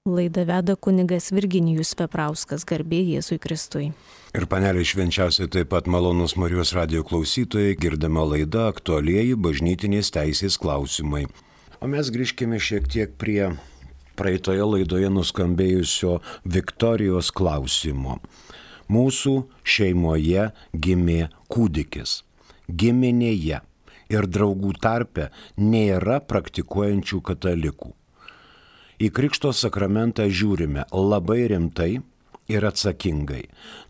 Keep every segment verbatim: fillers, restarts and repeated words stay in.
Laidą veda kunigas Virginijus Peprauskas, garbė Jėzui Kristui. Ir panelė švenčiausiai taip pat malonus Marijos radijo klausytojai, girdama laidą aktualieji bažnytinės teisės klausimai. O mes grįžkime šiek tiek prie praeitoje laidoje nuskambėjusio Viktorijos klausimo. Mūsų šeimoje gimė kūdikis. Giminėje ir draugų tarpe nėra praktikuojančių katalikų. Į Krikšto sakramentą žiūrime labai rimtai ir atsakingai.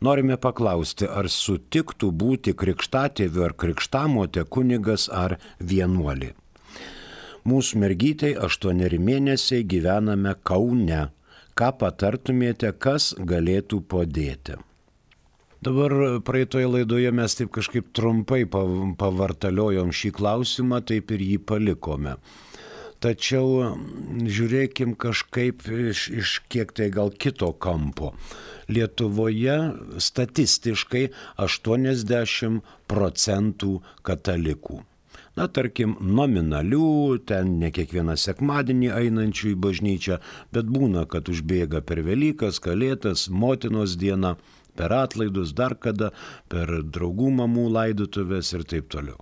Norime paklausti, ar sutiktų būti krikštatėviu ar krikštamotė kunigas ar vienuolė. Mūsų mergytei aštuoneri mėnesiai gyvename Kaune. Ką patartumėte, kas galėtų padėti? Dabar praeitoje laidoje mes taip kažkaip trumpai pavartaliojom šį klausimą, taip ir jį palikome. Tačiau žiūrėkim kažkaip iš, iš kiek tai gal kito kampo. Lietuvoje statistiškai aštuoniasdešimt procentų katalikų. Na, tarkim, nominalių, ten ne kiekvieną sekmadienį einančių į bažnyčią, bet būna, kad užbėga per Velykas, Kalėdas, Motinos dieną, per atlaidus, dar kada, per draugų mamų laidotuvės ir taip toliau.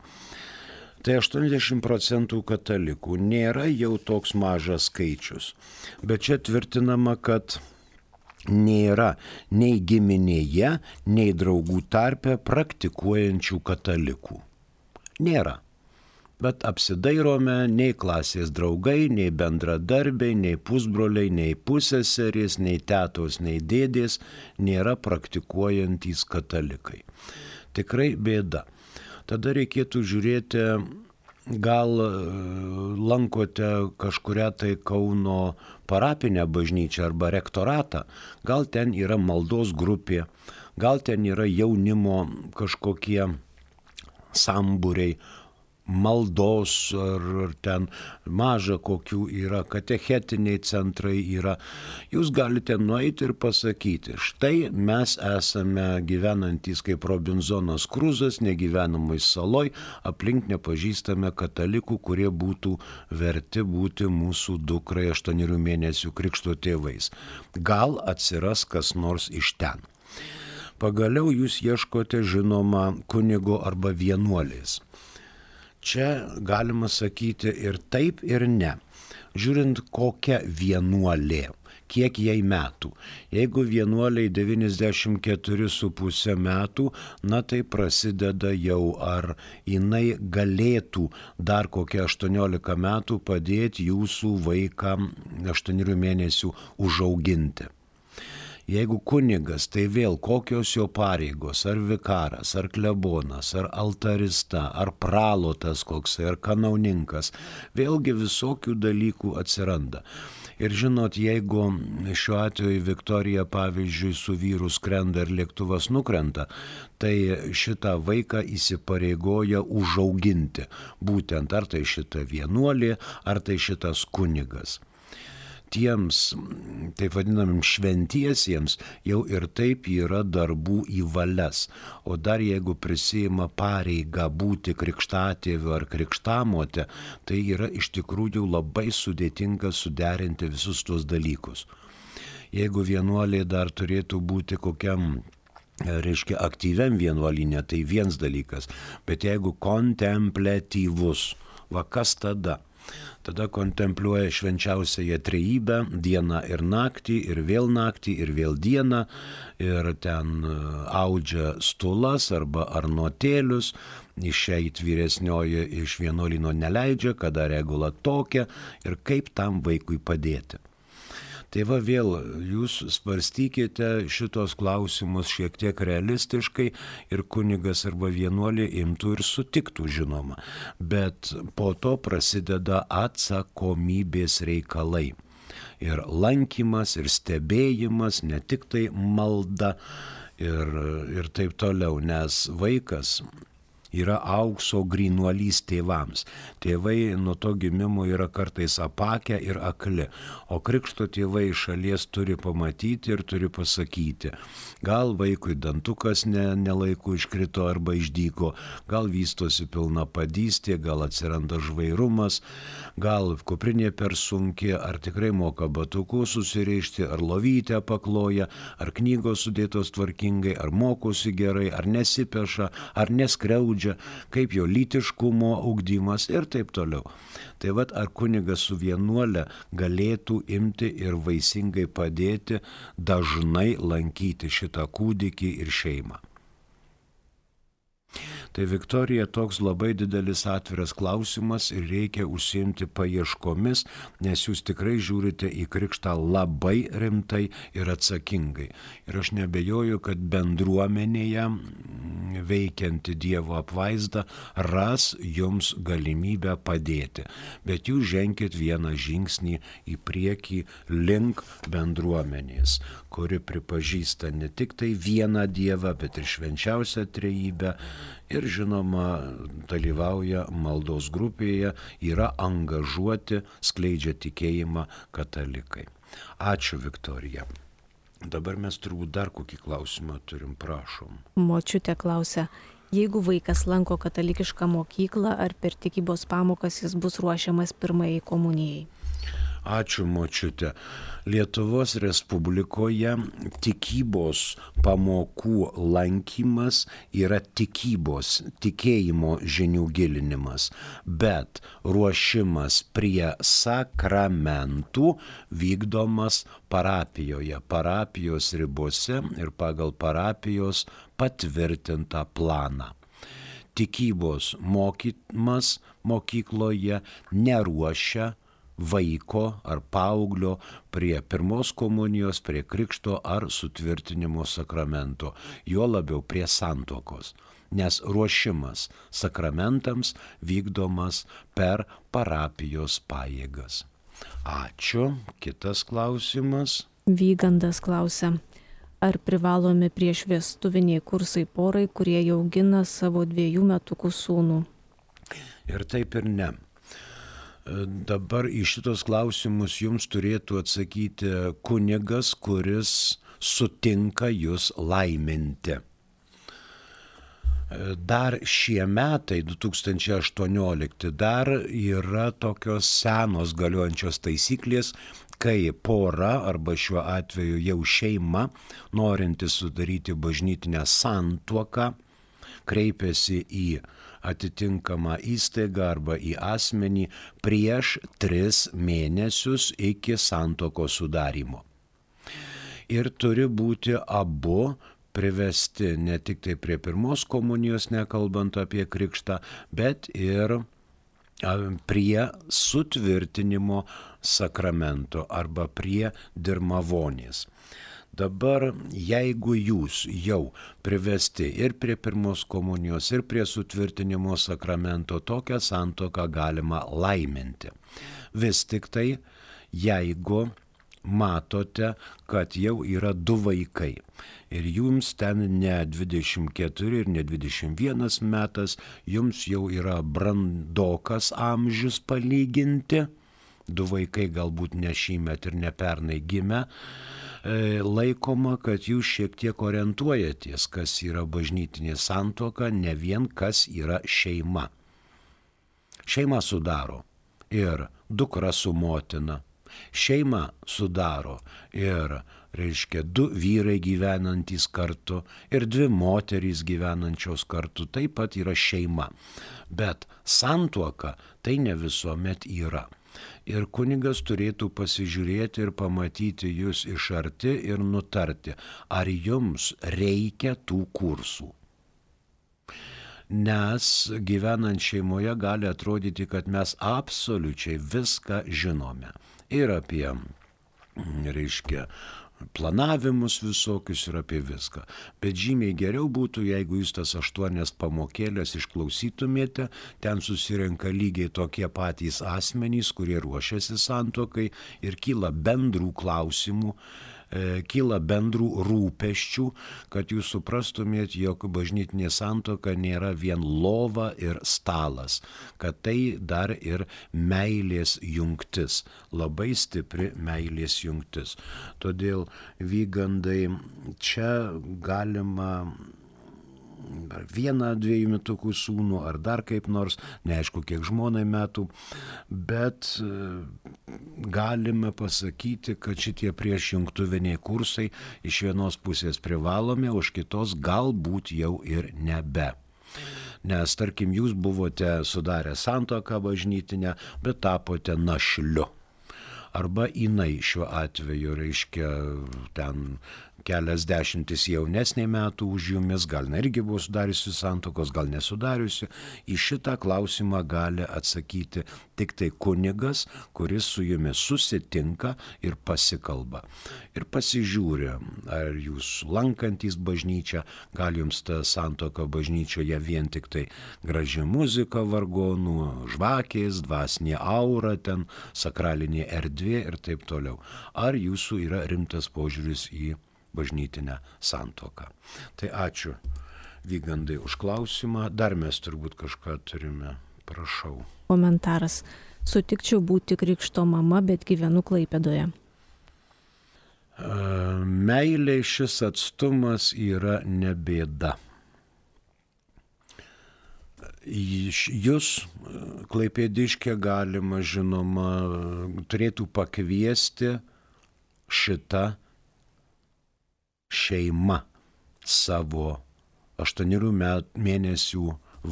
Tai aštuoniasdešimt procentų katalikų nėra jau toks mažas skaičius, bet čia tvirtinama, kad nėra nei giminėje, nei draugų tarpe praktikuojančių katalikų. Nėra. Bet apsidairome, nei klasės draugai, nei bendradarbiai, nei pusbroliai, nei pusseserės, nei tetos, nei dėdės nėra praktikuojantys katalikai. Tikrai bėda. Tada reikėtų žiūrėti, gal lankote kažkurią tai Kauno parapinę bažnyčią arba rektoratą, gal ten yra maldos grupė, gal ten yra jaunimo kažkokie sambūriai, maldos ar, ar ten maža kokių yra, katechetiniai centrai yra. Jūs galite nueiti ir pasakyti, štai mes esame gyvenantys kaip Robinzonas Kruzas, negyvenamai saloj, aplink nepažįstame katalikų, kurie būtų verti būti mūsų dukrai aštuonerių mėnesių krikšto tėvais. Gal atsiras kas nors iš ten. Pagaliau jūs ieškote žinoma kunigo arba vienuolės. Čia galima sakyti ir taip, ir ne. Žiūrint, kokia vienuolė, kiek jai metų. Jeigu vienuoliai devyniasdešimt keturi su puse metų, na tai prasideda jau, ar jinai galėtų dar kokie aštuoniolika metų padėti jūsų vaiką aštuonių mėnesių užauginti. Jeigu kunigas, tai vėl kokios jo pareigos, ar vikaras, ar klebonas, ar altarista, ar pralotas koks, ar kanauninkas, vėlgi visokių dalykų atsiranda. Ir žinot, jeigu šiuo atveju Viktorija, pavyzdžiui, su vyru skrenda ir lėktuvas nukrenta, tai šitą vaiką įsipareigoja užauginti. Būtent ar tai šita vienuolė, ar tai šitas kunigas. Tiems, taip vadinamim šventiesiems, jau ir taip yra darbų į valias. O dar jeigu prisima pareigą būti krikštatėviu ar krikštamotė, tai yra iš tikrųjų labai sudėtinga suderinti visus tuos dalykus. Jeigu vienuolė dar turėtų būti kokiam, reiškia, aktyviam vienuolinė, tai viens dalykas. Bet jeigu kontempliatyvus, va kas tada? Tada kontempliuoja švenčiausiąją trejybę dieną ir naktį, ir vėl naktį, ir vėl dieną, ir ten audžia stulas arba arnotėlius, išeit vyresnioji iš vienuolyno neleidžia, kada regula tokia ir kaip tam vaikui padėti. Tai va vėl jūs svarstykite šitos klausimus šiek tiek realistiškai ir kunigas arba vienuolė imtų ir sutiktų, žinoma. Bet po to prasideda atsakomybės reikalai. Ir lankymas, ir stebėjimas, ne tik tai malda ir, ir taip toliau, nes vaikas yra aukso grynuolys tėvams. Tėvai nuo to gimimo yra kartais apakę ir akli, o krikšto tėvai iš šalies turi pamatyti ir turi pasakyti. Gal vaikui dantukas ne, nelaiku iškrito arba išdyko, gal vystosi pilna padystė, gal atsiranda žvairumas, gal kuprinė per sunki, ar tikrai moka batukus susirišti, ar lovytę pakloja, ar knygos sudėtos tvarkingai, ar mokosi gerai, ar nesipeša, ar neskriaudžia, kaip jo lytiškumo ugdymas ir taip toliau. Tai vat ar kunigas su vienuole galėtų imti ir vaisingai padėti dažnai lankyti šitą kūdikį ir šeimą. Tai Viktorija toks labai didelis atviras klausimas ir reikia užsiimti paieškomis, nes jūs tikrai žiūrite į krikštą labai rimtai ir atsakingai. Ir aš nebejoju, kad bendruomenėje veikianti Dievo apvaizda ras jums galimybę padėti. Bet jūs ženkit vieną žingsnį į priekį link bendruomenės, kuri pripažįsta ne tik tai vieną Dievą, bet ir švenčiausią trejybę. Ir žinoma, dalyvauja maldos grupėje, yra angažuoti, skleidžia tikėjimą katalikai. Ačiū, Viktorija. Dabar mes turbūt dar kokį klausimą turim, prašom. Močiutė klausia, jeigu vaikas lanko katalikišką mokyklą, ar per tikybos pamokas jis bus ruošiamas pirmajai komunijai? Ačiū, močiutė. Lietuvos Respublikoje tikybos pamokų lankymas yra tikybos, tikėjimo žinių gilinimas, bet ruošimas prie sakramentų vykdomas parapijoje, parapijos ribose ir pagal parapijos patvirtintą planą. Tikybos mokymas mokykloje neruošia vaiko ar paauglio prie pirmos komunijos, prie krikšto ar sutvirtinimo sakramento, juo labiau prie santuokos, nes ruošimas sakramentams vykdomas per parapijos pajėgas. Ačiū. Kitas klausimas. Vygandas klausia, ar privalomi priešvestuviniai kursai porai, kurie jau augina savo dviejų metukų sūnų? Ir taip ir ne. Dabar į šitos klausimus jums turėtų atsakyti kunigas, kuris sutinka jūs laiminti. Dar šie metai, du tūkstančiai aštuoniolikti, dar yra tokios senos galiojančios taisyklės, kai pora arba šiuo atveju jau šeima, norinti sudaryti bažnytinę santuoką, kreipiasi į atitinkamą įstaigą arba į asmenį prieš tris mėnesius iki santuokos sudarymo. Ir turi būti abu privesti ne tik tai prie pirmos komunijos, nekalbant apie krikštą, bet ir prie sutvirtinimo sakramento arba prie dirmavonės. Dabar, jeigu jūs jau privesti ir prie pirmos komunijos, ir prie sutvirtinimo sakramento, tokią santuoką galima laiminti. Vis tik tai, jeigu matote, kad jau yra du vaikai ir jums ten ne dvidešimt keturi ir ne dvidešimt vienas metas, jums jau yra brandokas amžius palyginti, du vaikai galbūt ne šįmet ir ne pernai gimę, laikoma, kad jūs šiek tiek orientuojatės, kas yra bažnytinė santuoka, ne vien kas yra šeima. Šeima sudaro ir dukra su motina. Šeima sudaro ir, reiškia, du vyrai gyvenantys kartu ir dvi moterys gyvenančios kartu. Taip pat yra šeima. Bet santuoka tai ne visuomet yra. Ir kunigas turėtų pasižiūrėti ir pamatyti jūs iš arti ir nutarti, ar jums reikia tų kursų. Nes gyvenant šeimoje gali atrodyti, kad mes absoliučiai viską žinome. Ir apie, reiškia, planavimus visokius ir apie viską. Bet žymiai geriau būtų, jeigu jūs tas aštuonias pamokėlės išklausytumėte, ten susirenka lygiai tokie patys asmenys, kurie ruošiasi santuokai ir kyla bendrų klausimų, e, kyla bendrų rūpesčių, kad jūs suprastumėt, jog bažnytinė santuoka nėra vien lova ir stalas, kad tai dar ir meilės jungtis, labai stipri meilės jungtis. Todėl, Vygandai, čia galima vieną, dviejų metukų sūnų ar dar kaip nors, neaišku kiek žmonai metų, bet galime pasakyti, kad šitie priešjungtuviniai kursai iš vienos pusės privalomi, o iš kitos galbūt jau ir nebe. Nes, tarkim, jūs buvote sudarę santuoką bažnytinę, bet tapote našliu. Arba jinai šiuo atveju, reiškia, ten kelias dešimtis jaunesnė metų už jumis, gal irgi buvo sudariusi santuokos, gal nesudariusi. Į šitą klausimą gali atsakyti tik tai kunigas, kuris su jumis susitinka ir pasikalba. Ir pasižiūri, ar jūs lankantys bažnyčią, gal jums ta santuoka bažnyčioje vien tik tai graži muzika vargonų, žvakės, dvasinė aura, ten sakralinė erdvė ir taip toliau. Ar jūsų yra rimtas požiūris į bažnytinę santuoką. Tai ačiū, Vygandai, už klausimą. Dar mes turbūt kažką turime. Prašau. Komentaras. Sutikčiau būti krikšto mama, bet gyvenu Klaipėdoje. Meilė šis atstumas yra ne bėda. Jūs, klaipėdiškė, galima, žinoma, turėtų pakviesti šitą šeima savo aštuonerių mėnesių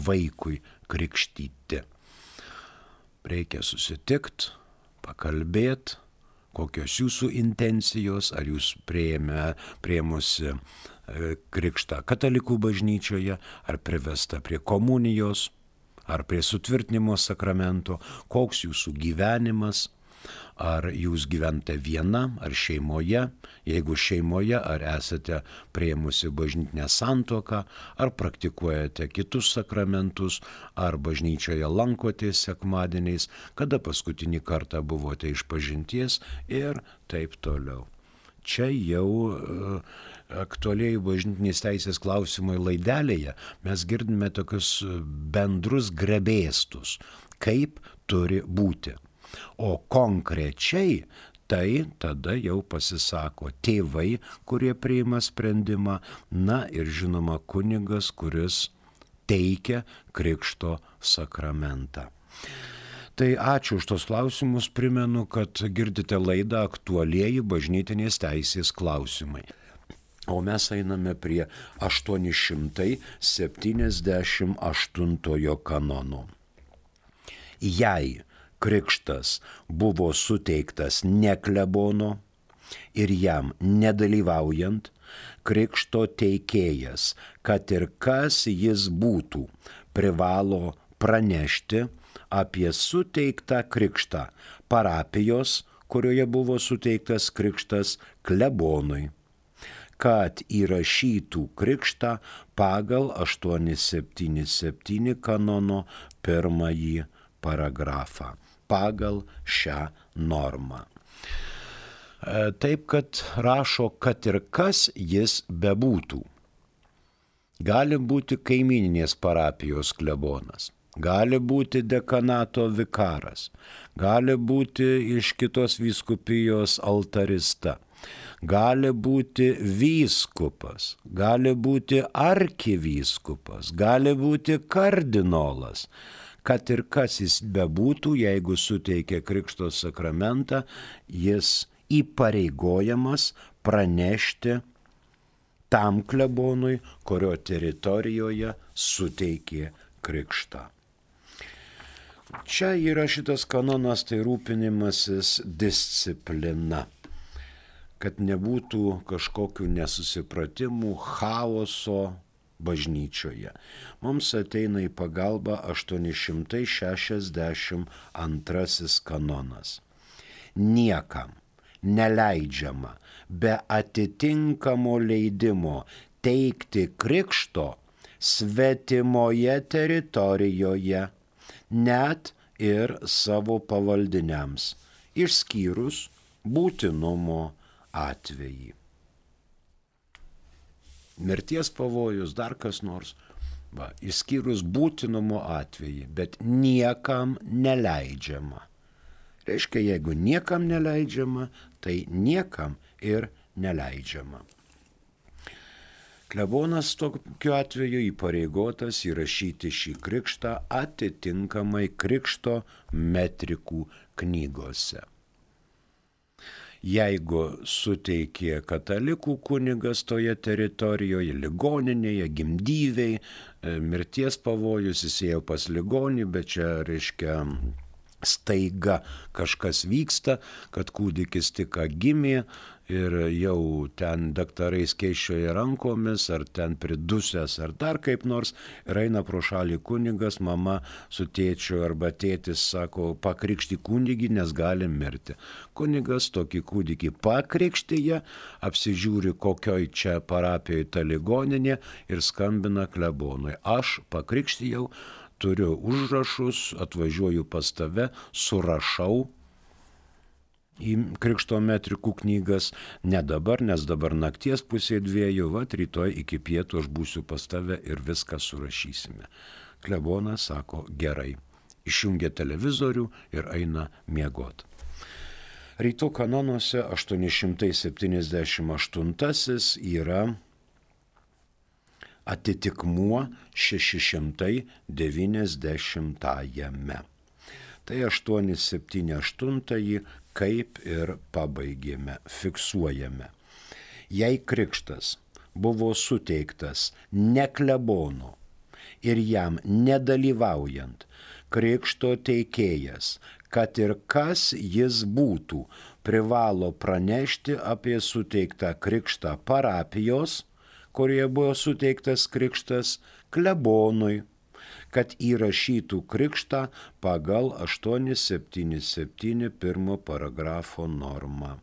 vaikui krikštyti. Reikia susitikti, pakalbėti, kokios jūsų intencijos, ar jūs priėmė, priėmusi krikštą katalikų bažnyčioje, ar privesta prie komunijos, ar prie sutvirtinimo sakramento, koks jūsų gyvenimas, ar jūs gyvenate viena, ar šeimoje, jeigu šeimoje, ar esate priėmusi bažnytinę santuoką, ar praktikuojate kitus sakramentus, ar bažnyčioje lankotės sekmadieniais, kada paskutinį kartą buvote išpažinties ir taip toliau. Čia jau uh, aktualiai bažnytinės teisės klausimai laidelėje mes girdime tokius bendrus grebėstus, kaip turi būti. O konkrečiai tai tada jau pasisako tėvai, kurie priima sprendimą, na ir žinoma kunigas, kuris teikia krikšto sakramentą. Tai ačiū už tos klausimus, primenu, kad girdite laidą Aktualieji bažnytinės teisės klausimai. O mes einame prie aštuoni šimtai septyniasdešimt aštuntojo kanono. Jei krikštas buvo suteiktas ne klebono ir jam nedalyvaujant, krikšto teikėjas, kad ir kas jis būtų, privalo pranešti apie suteiktą krikštą parapijos, kurioje buvo suteiktas krikštas, klebonui, kad įrašytų krikštą pagal aštuoni septyni septyni kanono pirmąjį paragrafą, pagal šią normą. Taip, kad rašo, kad ir kas jis bebūtų. Gali būti kaimyninės parapijos klebonas, gali būti dekanato vikaras, gali būti iš kitos vyskupijos altarista, gali būti vyskupas, gali būti arkivyskupas, gali būti kardinolas. Kad ir kas jis bebūtų, jeigu suteikia krikšto sakramentą, jis įpareigojamas pranešti tam klebonui, kurio teritorijoje suteikė krikštą. Čia yra šitas kanonas, tai rūpinimasis disciplina, kad nebūtų kažkokių nesusipratimų, chaoso bažnyčioje. Mums ateina į pagalbą aštuoni šimtai šešiasdešimt antrasis kanonas. Niekam neleidžiama be atitinkamo leidimo teikti krikšto svetimoje teritorijoje, net ir savo pavaldiniams, išskyrus būtinumo atvejį. Mirties pavojus, dar kas nors, va, išskyrus būtinumo atvejį, bet niekam neleidžiama. Reiškia, jeigu niekam neleidžiama, tai niekam ir neleidžiama. Klebonas tokiu atveju įpareigotas įrašyti šį krikštą atitinkamai krikšto metrikų knygose. Jeigu suteikė katalikų kunigas toje teritorijoje, ligoninėje, gimdyviai, mirties pavojus, jis ėjo pas ligonį, bet čia reiškia staiga kažkas vyksta, kad kūdikis tik gimė ir jau ten daktarai skėsčioja rankomis, ar ten pridusęs, ar dar kaip nors, ir eina pro šalį kunigas, mama su tėčiu arba tėtis sako, pakrikšti kūdikį, nes gali mirti. Kunigas tokį kūdikį pakrikštyje, apsižiūri, kokioj čia parapijoje ta ligoninė ir skambina klebonui. Aš pakrikštijau, turiu užrašus, atvažiuoju pas tave, surašau į krikšto metrikų knygas, ne dabar, nes dabar nakties pusė dviejų, vat rytoj iki pietų aš būsiu pas tave ir viską surašysime. Klebonas sako, gerai, išjungia televizorių ir eina miegot. Rytų kanonuose aštuoni šimtai septyniasdešimt aštuntasis yra atitikmuo šeši šimtai devyniasdešimtajame. Tai aštuoni septyni aštuntąjį kaip ir pabaigėme, fiksuojame. Jei krikštas buvo suteiktas ne klebonu ir jam nedalyvaujant, krikšto teikėjas, kad ir kas jis būtų, privalo pranešti apie suteiktą krikštą parapijos, kurioje buvo suteiktas krikštas, klebonui, kad įrašytų krikštą pagal aštuoni septyni septyni pirmo paragrafo normą.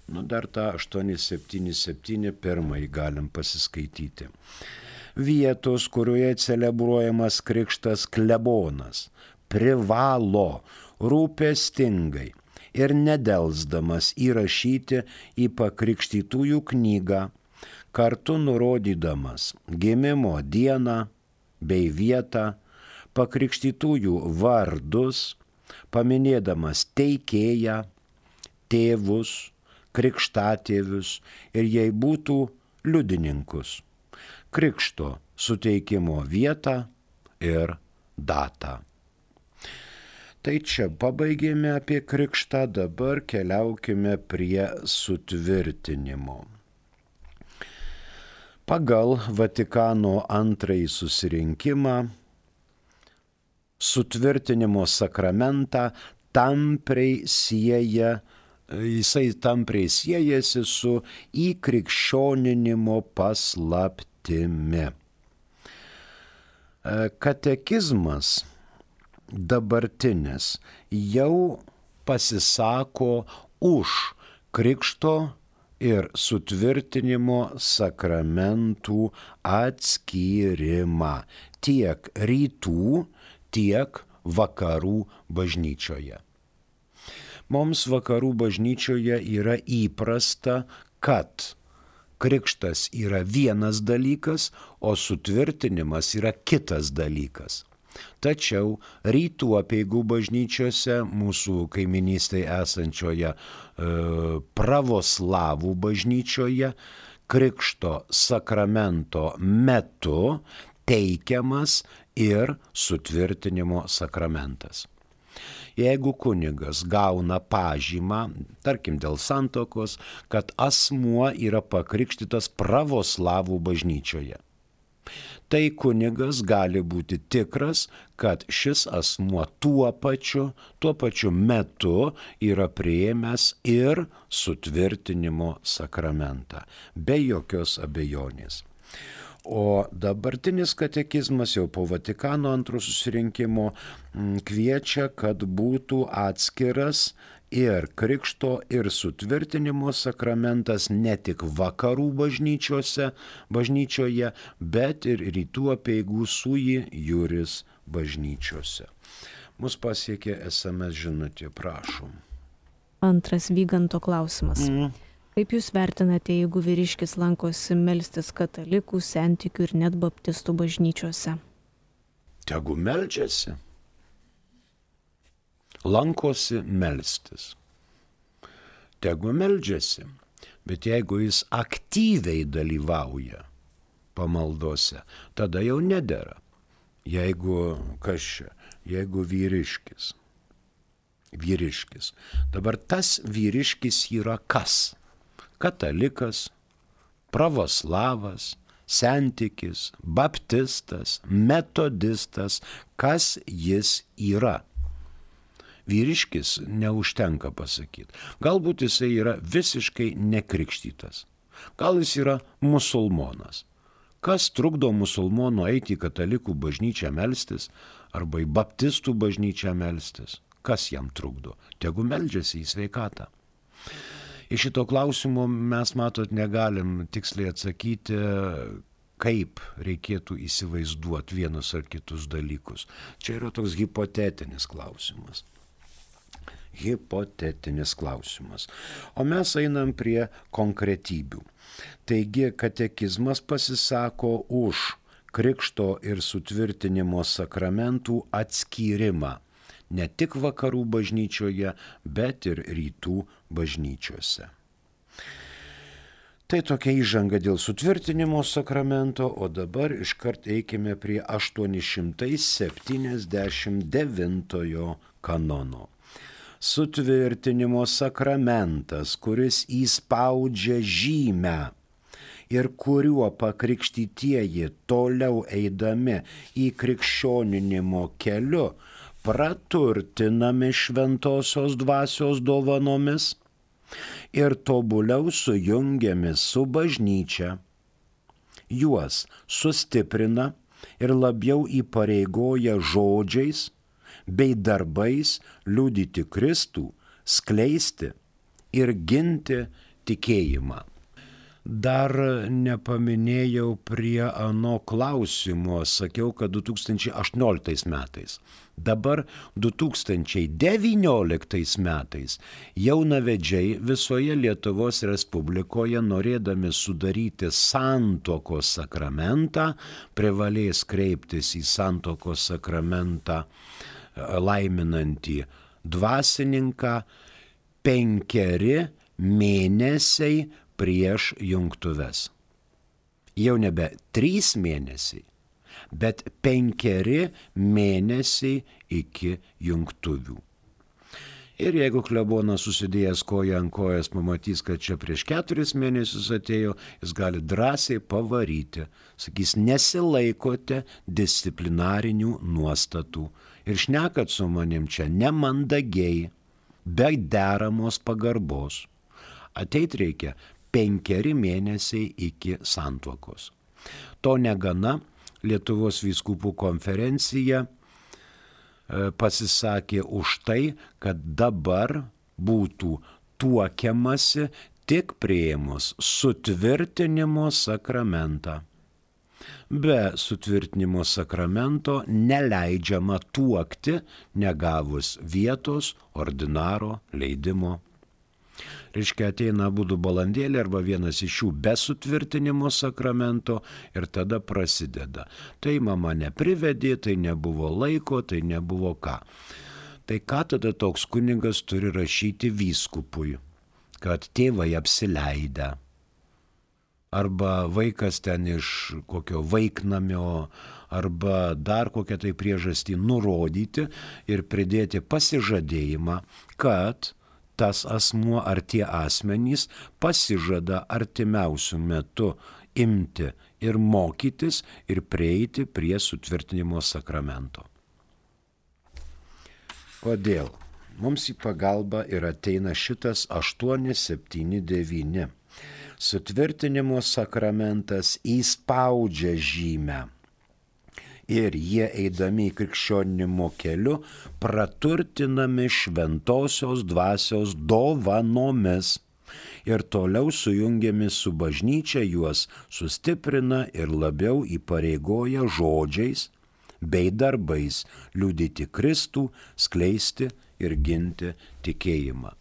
Nu, dar tą aštuoni septyni septyni pirmąjį galim pasiskaityti. Vietos, kurioje celebruojamas krikštas klebonas, privalo rūpestingai ir nedelsdamas įrašyti į pakrikštytųjų knygą, kartu nurodydamas gimimo dieną bei vietą, pakrikštytųjų vardus, paminėdamas teikėją, tėvus, krikštatėvius ir jei būtų liudininkus, krikšto suteikimo vietą ir datą. Tai čia pabaigėme apie krikštą, dabar keliaukime prie sutvirtinimo. Pagal Vatikano antrąjį susirinkimą sutvirtinimo sakramentą tampriai sieja, jisai tampriai siejasi su įkrikščioninimo paslaptimi. Katekizmas dabartinis jau pasisako už krikšto ir sutvirtinimo sakramentų atskyrimą tiek rytų, tiek vakarų bažnyčioje. Mums vakarų bažnyčioje yra įprasta, kad krikštas yra vienas dalykas, o sutvirtinimas yra kitas dalykas. Tačiau rytų apeigų bažnyčiose, mūsų kaiminystėje esančioje e, pravoslavų bažnyčioje, krikšto sakramento metu teikiamas ir sutvirtinimo sakramentas. Jeigu kunigas gauna pažymą, tarkim dėl santuokos, kad asmuo yra pakrikštytas pravoslavų bažnyčioje, tai kunigas gali būti tikras, kad šis asmuo tuo pačiu, tuo pačiu metu yra priėmęs ir sutvirtinimo sakramentą, be jokios abejonės. O dabartinis katekizmas jau po Vatikano antro susirinkimo kviečia, kad būtų atskiras ir krikšto ir sutvirtinimo sakramentas ne tik vakarų bažnyčiose, bažnyčioje, bet ir rytų apeigų sui juris bažnyčiose. Mus pasiekė es em es žinutė, prašom. Antras Vyganto klausimas. Mm. Kaip Jūs vertinate, jeigu vyriškis lankosi melstis katalikų, sentikių ir net baptistų bažnyčiose? Tegu meldžiasi. Lankosi melstis. Tegu meldžiasi. Bet jeigu jis aktyviai dalyvauja pamaldose, tada jau nedera. Jeigu kas čia, jeigu vyriškis. Vyriškis. Dabar tas vyriškis yra kas? Katalikas, pravoslavas, sentikis, baptistas, metodistas. Kas jis yra? Vyriškis neužtenka pasakyti. Galbūt jisai yra visiškai nekrikštytas. Gal jis yra musulmonas. Kas trukdo musulmonų eiti į katalikų bažnyčią melstis arba į baptistų bažnyčią melstis? Kas jam trukdo? Tegu meldžiasi į sveikatą. Iš šito klausimo mes, matot, negalim tiksliai atsakyti, kaip reikėtų įsivaizduoti vienus ar kitus dalykus. Čia yra toks hipotetinis klausimas. Hipotetinis klausimas. O mes einam prie konkretybių. Taigi katekizmas pasisako už krikšto ir sutvirtinimo sakramentų atskyrimą. Ne tik vakarų bažnyčioje, bet ir rytų bažnyčiose. Tai tokia įžanga dėl sutvirtinimo sakramento, o dabar iškart eikime prie aštuoni šimtai septyniasdešimt devintojo kanono. Sutvirtinimo sakramentas, kuris įspaudžia žymę ir kuriuo pakrikštytieji toliau eidami į krikščioninimo keliu praturtinami šventosios dvasios dovanomis ir tobuliau sujungiami su bažnyčia, juos sustiprina ir labiau įpareigoja žodžiais bei darbais liudyti Kristų, skleisti ir ginti tikėjimą. Dar nepaminėjau prie ano klausimo, sakiau, kad du tūkstančiai aštuonioliktais metais. Dabar du tūkstančiai devynioliktais metais jaunavedžiai visoje Lietuvos Respublikoje, norėdami sudaryti santuokos sakramentą, privalės kreiptis į santuokos sakramentą laiminantį dvasininką penkeri mėnesiai prieš jungtuves. Jau nebe trys mėnesiai, bet penkeri mėnesiai iki jungtuvių. Ir jeigu klebonas susidėjęs koją ant kojas pamatys, kad čia prieš keturis mėnesius atėjo, jis gali drąsiai pavaryti. Sakys, nesilaikote disciplinarinių nuostatų ir šnekat su manim čia nemandagiai, be deramos pagarbos. Ateit reikia penkeri mėnesiai iki santuokos. To negana, Lietuvos vyskupų konferencija pasisakė už tai, kad dabar būtų tuokiamasi tik priėmus sutvirtinimo sakramentą. Be sutvirtinimo sakramento neleidžiama tuokti, negavus vietos ordinaro leidimo. Reiškia, ateina abudu balandėlį arba vienas iš jų be sutvirtinimo sakramento ir tada prasideda. Tai mama neprivedė, tai nebuvo laiko, tai nebuvo ką. Tai ką tada toks kunigas turi rašyti vyskupui, kad tėvai apsileidę. Arba vaikas ten iš kokio vaiknamio, arba dar kokią tai priežastį nurodyti ir pridėti pasižadėjimą, kad tas asmuo ar tie asmenys pasižada artimiausių metų imti ir mokytis ir prieiti prie sutvirtinimo sakramento. Kodėl? Mums į pagalbą ir ateina šitas aštuoni septyni devyni. Sutvirtinimo sakramentas įspaudžia žymę. Ir jie eidami į krikščionimo keliu praturtinami šventosios dvasios dovanomis ir toliau sujungiami su bažnyčia, juos sustiprina ir labiau įpareigoja žodžiais bei darbais liudyti Kristų, skleisti ir ginti tikėjimą.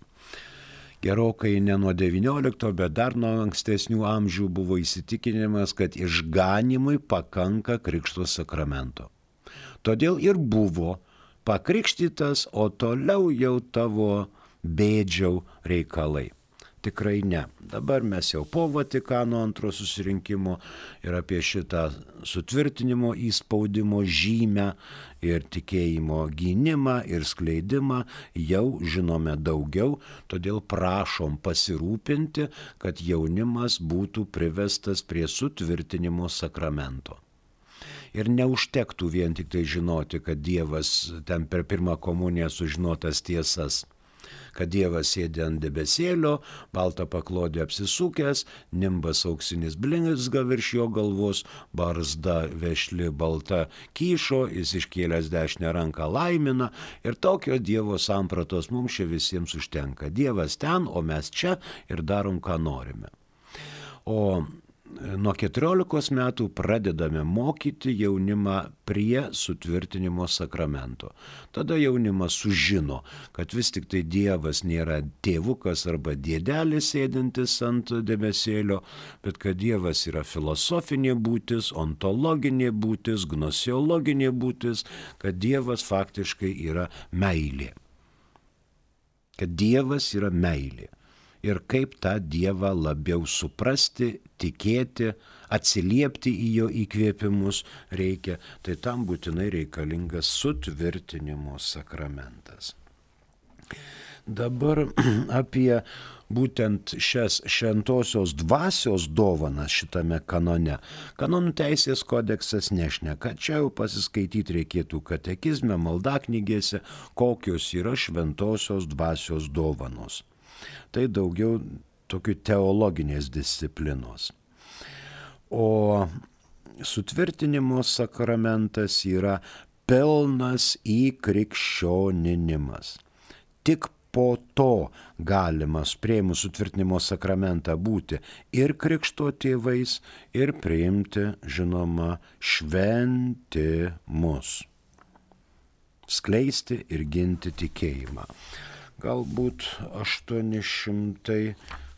gerokai ne nuo devyniolikto, bet dar nuo ankstesnių amžių buvo įsitikinimas, kad išganimui pakanka krikšto sakramento. Todėl ir buvo pakrikštytas, o toliau jau tavo bėdžiau reikalai. Tikrai ne. Dabar mes jau po Vatikano antro susirinkimo ir apie šitą sutvirtinimo įspaudimo žymę ir tikėjimo gynimą ir skleidimą jau žinome daugiau, todėl prašom pasirūpinti, kad jaunimas būtų privestas prie sutvirtinimo sakramento. Ir neužtektų vien tik tai žinoti, kad Dievas ten per pirmą komuniją sužinotas tiesas, kad Dievas sėdi ant debesėlio, baltą paklodę apsisukęs, nimbas auksinis blizga virš jo galvos, barzda vešli balta kyšo, jis iškėlęs dešinę ranką laimina ir tokio Dievo sampratos mums čia visiems užtenka. Dievas ten, o mes čia ir darom, ką norime. O nuo keturiolikos metų pradedame mokyti jaunimą prie sutvirtinimo sakramento. Tada jaunimas sužino, kad vis tik tai Dievas nėra tėvukas arba dėdelis sėdintis ant debesėlio, bet kad Dievas yra filosofinė būtis, ontologinė būtis, gnosiologinė būtis, kad Dievas faktiškai yra meilė. Kad Dievas yra meilė. Ir kaip tą Dievą labiau suprasti, tikėti, atsiliepti į jo įkvėpimus reikia, tai tam būtinai reikalingas sutvirtinimo sakramentas. Dabar apie būtent šias šventosios dvasios dovanas šitame kanone. Kanonų teisės kodeksas nešneka, čia jau pasiskaityti reikėtų katekizme, maldaknygėse, kokios yra šventosios dvasios dovanos. Tai daugiau tokių teologinės disciplinos. O sutvirtinimo sakramentas yra pilnas įkrikščioninimas. Tik po to galima priėmus sutvirtinimo sakramentą būti ir krikšto tėvais, ir priimti, žinoma, šventimus. Skleisti ir ginti tikėjimą. Galbūt aštuoni šimtai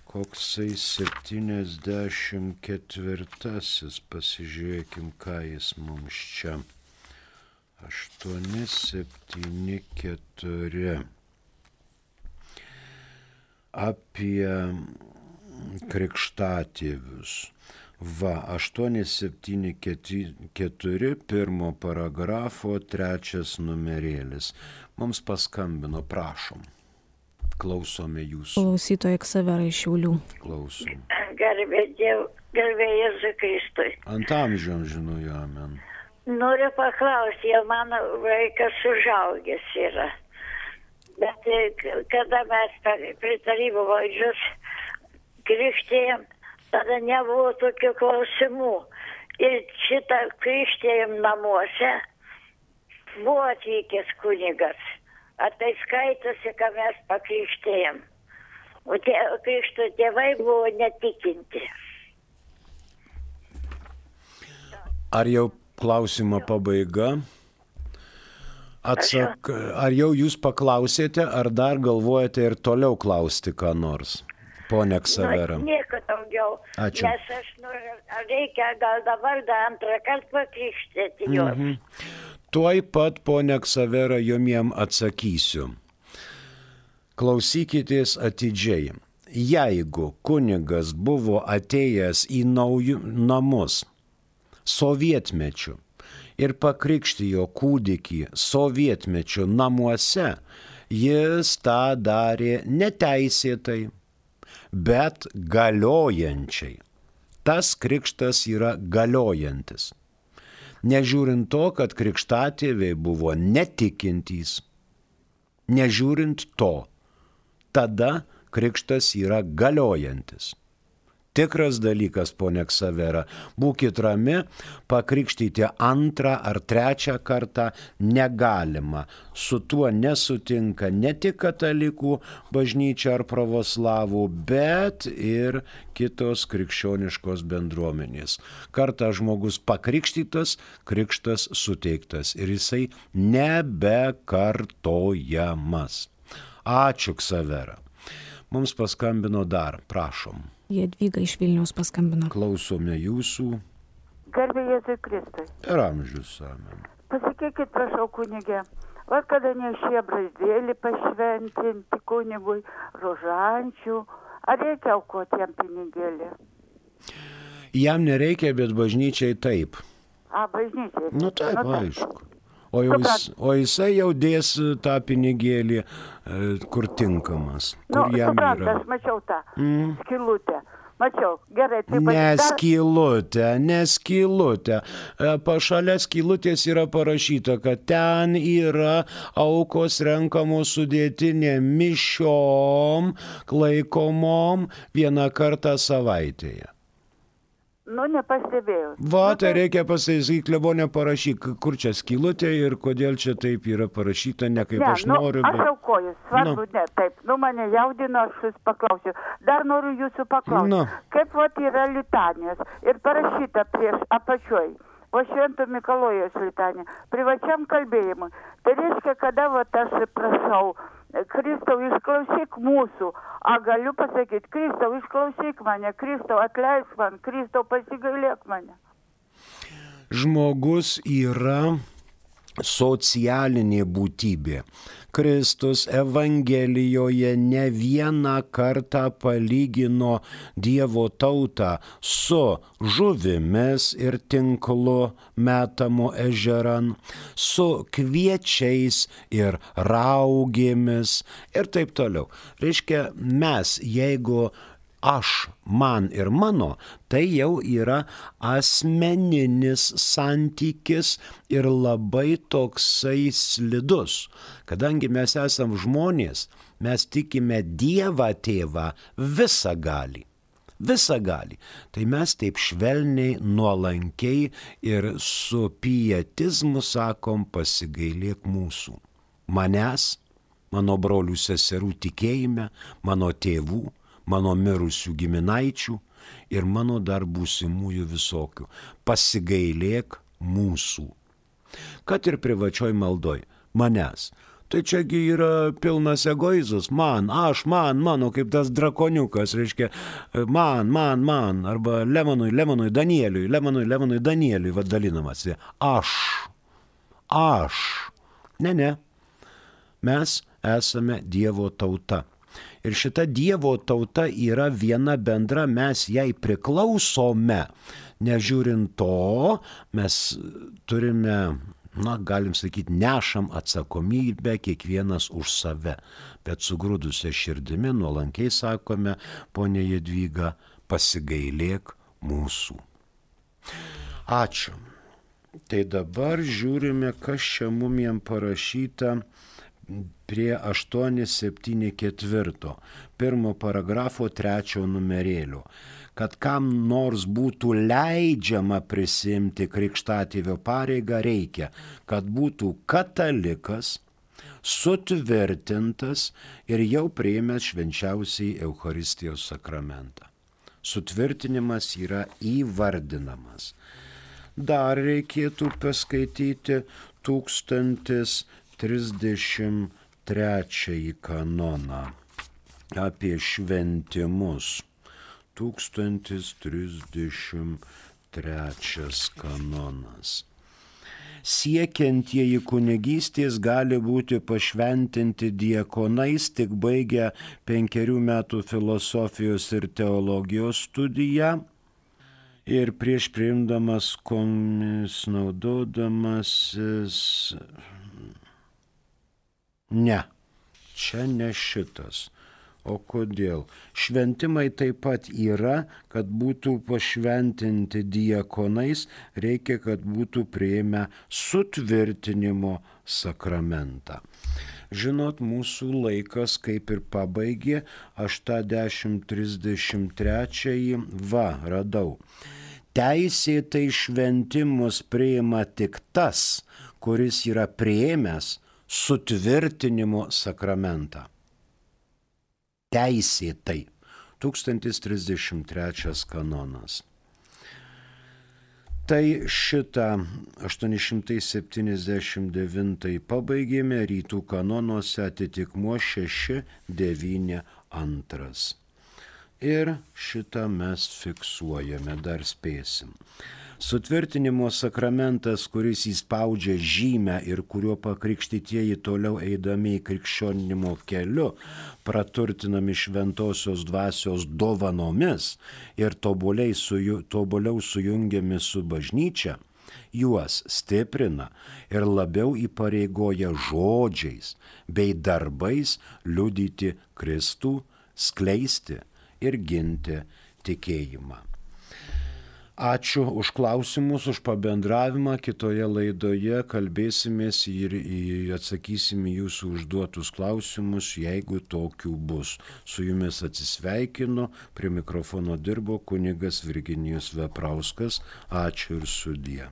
koksai septyniasdešimt ketvirtasis, pasižiūrėkim, ką jis mums čia. aštuoni septyni keturi. Apie krikštatėvius. Va, aštuoni septyni keturi, pirmo paragrafo, trečias numerėlis. Mums paskambino, prašom. Klausome jūsų. Klausytoja Ksavera iš Šiaulių. Klausom. Garbė Dievu, garbė Jėzui Kristui. Ant amžiam žinau, amen. Noriu paklausti, jau mano vaikas užaugęs yra. Bet kada mes prie tarybų valdžios krikštėjom, tada nebuvo tokių klausimų. Ir šitą krikštėjom namuose buvo atvykęs kunigas. Ar tai skaitosi, ką mes pakrikštėjom. O tie krikšto tėvai buvo netikinti. Ar jau klausimo pabaiga? Atsak, ar jau jūs paklausėte, ar dar galvojate ir toliau klausti ką nors? Pone Ksavera. Nu, nieko daugiau. Ačiū. Nes aš noriu, reikia gal dabar dar antrą kartą pakrikštėti juos. Mhm. Tuoj pat, pone Ksavera, jumiem atsakysiu. Klausykitės atidžiai. Jeigu kunigas buvo atėjęs į naujus namus sovietmečiu ir pakrikštijo kūdikį sovietmečiu namuose, jis tą darė neteisėtai, bet galiojančiai. Tas krikštas yra galiojantis. Nežiūrint to, kad krikštatėviai buvo netikintys, nežiūrint to, tada krikštas yra galiojantis. Tikras dalykas, ponia Ksavera, būkit rami, pakrikštyti antrą ar trečią kartą negalima. Su tuo nesutinka ne tik katalikų bažnyčia ar pravoslavų, bet ir kitos krikščioniškos bendruomenės. Kartą žmogus pakrikštytas, krikštas suteiktas ir jisai nebekartojamas. Ačiū, Ksavera. Mums paskambino dar, prašom. Jadvyga iš Vilniaus paskambino. Klausome jūsų. Garbė Jėzui Kristui. Per amžius, amen. Pasakykit, prašau, kunigė, va kada nešė brazdėlį pašventinti kunigui, rožančių, ar reikia aukoti jam pinigėlį? Jam nereikia, bet bažnyčiai taip. A, bažnyčiai. Nu taip, Nu, taip. aišku. O, jau jis, o jisai jau dės tą pinigėlį, e, kur tinkamas. Nu, Kur jam suprant, yra. aš mačiau tą Mm. skylutę. Mačiau, gerai. Tai Neskylutė, neskylutė. Pašalia skylutės yra parašyta, kad ten yra aukos renkamos sudėtinė mišiom, laikomom vieną kartą savaitėje. Nu, nepastebėjau. Va, Nu, tai reikia pasakyti, klebonė parašyk, kur čia skylutė ir kodėl čia taip yra parašyta, ne kaip Ne, aš nu, noriu. aš aukoju, svarbu, Nu. ne, taip, nu mane jaudino, aš jūs paklausiu. Dar noriu jūsų paklausti, Nu. kaip vat yra litanijos ir parašyta prieš apačioj, o Švento Mikalojaus litanija, privačiam kalbėjimui. Tai reiškia, kada vat aš prašau, Kristau, išklausyk mūsų, a galiu pasakyti, Kristau, išklausyk mane, Kristau, atleisk man, Kristau, pasigailėk mane. Žmogus yra socialinė būtybė. Kristus Evangelijoje ne vieną kartą palygino Dievo tautą su žuvimis ir tinklu metamu ežeran, su kviečiais ir raugėmis ir taip toliau. Reiškia, mes, jeigu aš, man ir mano, tai jau yra asmeninis santykis ir labai toksai slidus. Kadangi mes esam žmonės, mes tikime Dievą tėvą visagalį. Visagalį. Tai mes taip švelniai, nuolankiai ir su pietizmu sakom, pasigailėk mūsų. Manęs, mano brolių seserų tikėjime, mano tėvų, mano mirusių giminaičių ir mano dar būsimųjų visokių. Pasigailėk mūsų. Kad ir privačioj maldoj. Manęs. Tai čiagi yra pilnas egoizas. Man, aš, man, mano, kaip tas drakoniukas, reiškia, man, man, man, arba Lemonui, Lemonui, Danieliui, Lemonui, Lemonui, Danieliui, vaddalinamasi. Aš. Aš. Ne, ne. Mes esame Dievo tauta. Ir šita Dievo tauta yra viena bendra, mes jai priklausome. Nežiūrint to, mes turime, na, galim sakyti, nešam atsakomybę kiekvienas už save. Bet sugrūdusią širdimi nuolankiai sakome, ponė Jadvyga, pasigailėk mūsų. Ačiū. Tai dabar žiūrime, kas čia mum jam parašyta prie aštuoni septyni keturi, pirmo paragrafo trečio numerėlio, kad kam nors būtų leidžiama prisimti krikštatėvio pareigą, reikia, kad būtų katalikas, sutvirtintas ir jau priėmęs švenčiausiai Eucharistijos sakramentą. Sutvirtinimas yra įvardinamas. Dar reikėtų paskaityti tūkstantis trisdešimt trečiąjį kanoną apie šventimus. Tūkstantis trisdešimt trečias kanonas. Siekiantieji kunigystės gali būti pašventinti diakonais, tik baigę penkerių metų filosofijos ir teologijos studiją ir prieš priimdamas komis naudodamasis. Ne, čia ne šitas. O kodėl? Šventimai taip pat yra, kad būtų pašventinti diakonais, reikia, kad būtų priėmę sutvirtinimo sakramentą. Žinot, mūsų laikas kaip ir pabaigė, aš tą dešimt trisdešimt trečiąjį, va, radau. Teisėtai šventimus priima tik tas, kuris yra priėmęs sutvirtinimo sakramentą. Teisėtai. tūkstantis trisdešimt trečias kanonas. Tai šitą aštuoni šimtai septyniasdešimt devintąjį pabaigėme, rytų kanonuose atitikmuo šeši devyni antras. Ir šitą mes fiksuojame, dar spėsim. Sutvirtinimo sakramentas, kuris įspaudžia žymę ir kuriuo pakrikštytieji toliau eidami į krikščionimo keliu, praturtinami šventosios dvasios dovanomis ir tobuliai suju, tobuliau sujungiami su bažnyčia, juos stiprina ir labiau įpareigoja žodžiais bei darbais liudyti Kristų, skleisti ir ginti tikėjimą. Ačiū už klausimus, už pabendravimą. Kitoje laidoje kalbėsimės ir atsakysime jūsų užduotus klausimus, jeigu tokių bus. Su jumis atsisveikinu, prie mikrofono dirbo kunigas Virginijus Veprauskas. Ačiū ir sudie.